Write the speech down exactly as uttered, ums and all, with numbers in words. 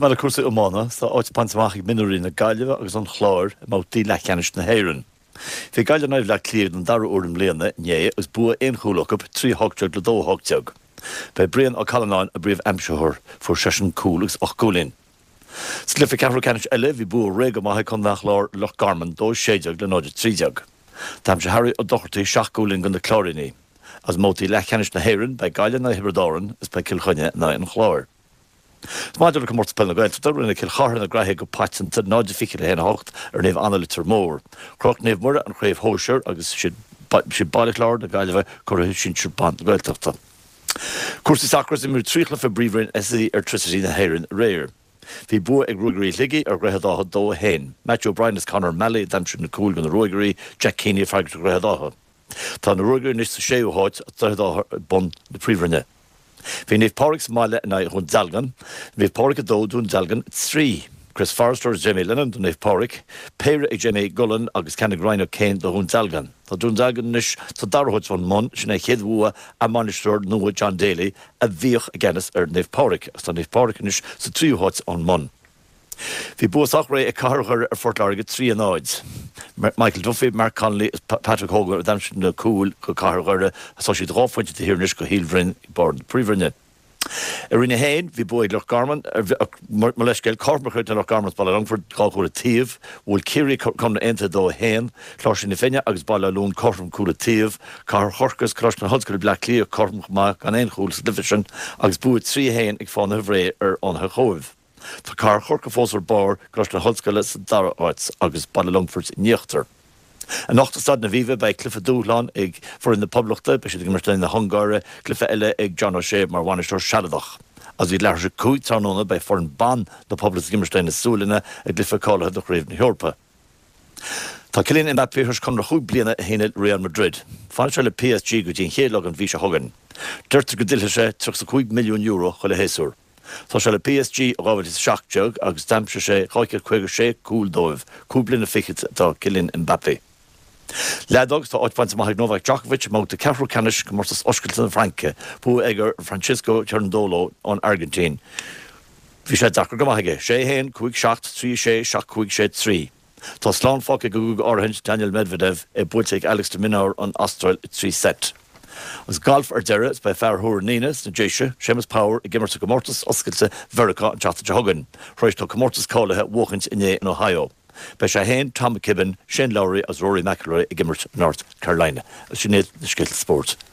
Maidir le cúrsaí iomána, tá áit bainte amach ag mionúirí na Gaillimhe agus an Chláir i mbabhtaí leathcheannais na hÉireann. Bhí Gaillimh in aghaidh Bhaile Átha Cliath don dara huair i mbliana inné agus bua aon chúl acu, trí a hocht déag le dó a hocht déag. B'é Brian Ó Callanáin a bpríomh-aimsitheoir, fuair seisean cúl agus ocht gcúilín. Sa gcluiche ceathrú ceannais eile bhí bua réidh go maith ag Contae an Chláir ar Loch Garman, dó a sé déag le náid a trí déag. D'aimsigh Harry Ó Dochartaigh seacht gcúilín do na Cláirínigh. Agus i mbabhtaí leathcheannais na hÉireann beidh Gaillimh in aghaidh Thiobraid Árann is beidh Cill Chainnigh in aghaidh an Chláir. Maidir le Comórtas Peile na Gaeltachta, rinne Cill Chartha na graithe go paiteanta náid fiche le haon a hocht ar Naomh Anna Leitir Móir. Chroch Naomh Muire an chraobh shóisir agus siad Baile Chláir na Gaillimhe curaidh sinsir ban na Gaeltachta. Cúrsaí sacair, Imríodh trí chluiche i bPríomhroinn SSE Airtricity na hÉireann aréir. Bhí bua ag Ruagairí Shligigh ar Dhroichead Átha dó a haon. Matthew O'Brien is Conor Malley a d'aimsigh na cúil do na Ruagairí, Jack Keaney ag freagairt do Dhroichead Átha. Tá na Ruagairí anois sa séú háit agus Droichead Átha ag bun na Príomhroinne. Bhí Naomh Pádraig sa mbaile in aghaidh Dhún Dealgan. Naomh Pádraig a dó, Dún Dealgan a trí. Chris Forrester agus Jamie Lennon do Naomh Pádraig, péire ag Jamie Gullan agus ceann ag Ryan O'Kane do Dhún Dealgan. Tá Dún Dealgan anois sa dara háit ón mbun, sin é a chéad bhua a mbainisteoir nua John Daly a bhíodh i gceannas ar Naomh Pádraig agus tá Naomh Pádraig anois sa tríú háit ón mbun. Bhí bua sách réidh ag Cathair Dhoire ar Phort Láirge trí a náid. Michael Duffy, Mark Connolly is Patrick Hogan a d'aimsigh na cúil do Cathair Dhoire agus tá siad dhá phointe taobh thiar anois do Shíol Bhroin ag barr na Príomhroinne. I Roinn a haon, bhí bua ag Loch Garman, mo leithscéal, cothrom a chríochnaigh Loch Garman is Baile Longfoirt, dhá chúl an taobh. Bhuail Ciarraí Conradh Aontaithe dó a haon, Cláirsigh na Finne agus Baile Átha Luain cothrom cúl an taobh, Cathair Chorcaí is Coláiste na hOllscoile Bleá Cliath cothrom chomh maith gan aon chúl sa gcluiche sin agus bua trí a haon ag Fánaithe Bhré ar Fhánaithe Chóibh. Tá Cathair Chorcaí fós ar barr, Coláiste na hOllscoile sa dara háit agus Baile Longfoirt in íochtar. Anocht i Staid an Aviva beidh cluiche dúshláin ag foireann na Poblachta, beidh siad ag imirt in aghaidh na hUngáire, cluiche eile ag John O'Shea mar bhainisteoir sealadach. Agus ag leathuair tar éis a cúig tráthnóna beidh foireann ban na Poblachta ag imirt in aghaidh na Sualainne i gcluiche cáilithe do Chraobh na hEorpa. Tá Kylian Mbappé tar éis conradh chúig bliana a shíneadh le Real Madrid. Fanfaidh sé le P S G go dtí an chéad lá den mhí seo chugainn. Deirtear go dtuillfidh sé tríocha a cúig milliún euro chuile shéasúr. Tá sé le P S G ó dhá mhíle is a seacht déag agus d'aimsigh sé dhá chéad caoga sé cúl dóibh. Cúig bliana fichead atá Kylian Mbappé. Leadóg, Tá áit bainte amach ag Novak Djokovic i mbabhta ceathrú ceannais Chomórtas Oscailte na Fraince. Bua aige ar Francisco Cerundolo ón Airgintín. Bhí sé deacair go maith aige. Sé a haon, cúig seacht, trí a sé, seacht cúig, sé trí. Tá slán fágtha ag an gcúig áirithint Daniil Medvedev, é buailte ag Alex de Minaur ón Astráil i trí seit. Agus galf ar deireadh, is beidh fear Thuar na nAoine sna Déise, Séamus Power, ag imirt i gComórtas Oscailte Mheiriceá an tseachtain seo chugainn, tar éis dó comórtas cáilithe a bhuachaint inné in Ohio. Beidh sé féin, Tom McKibbin, Shane Lowry agus Rory McIlroy ag imirt i North Carolina. Agus sin iad na scéalta spóirt.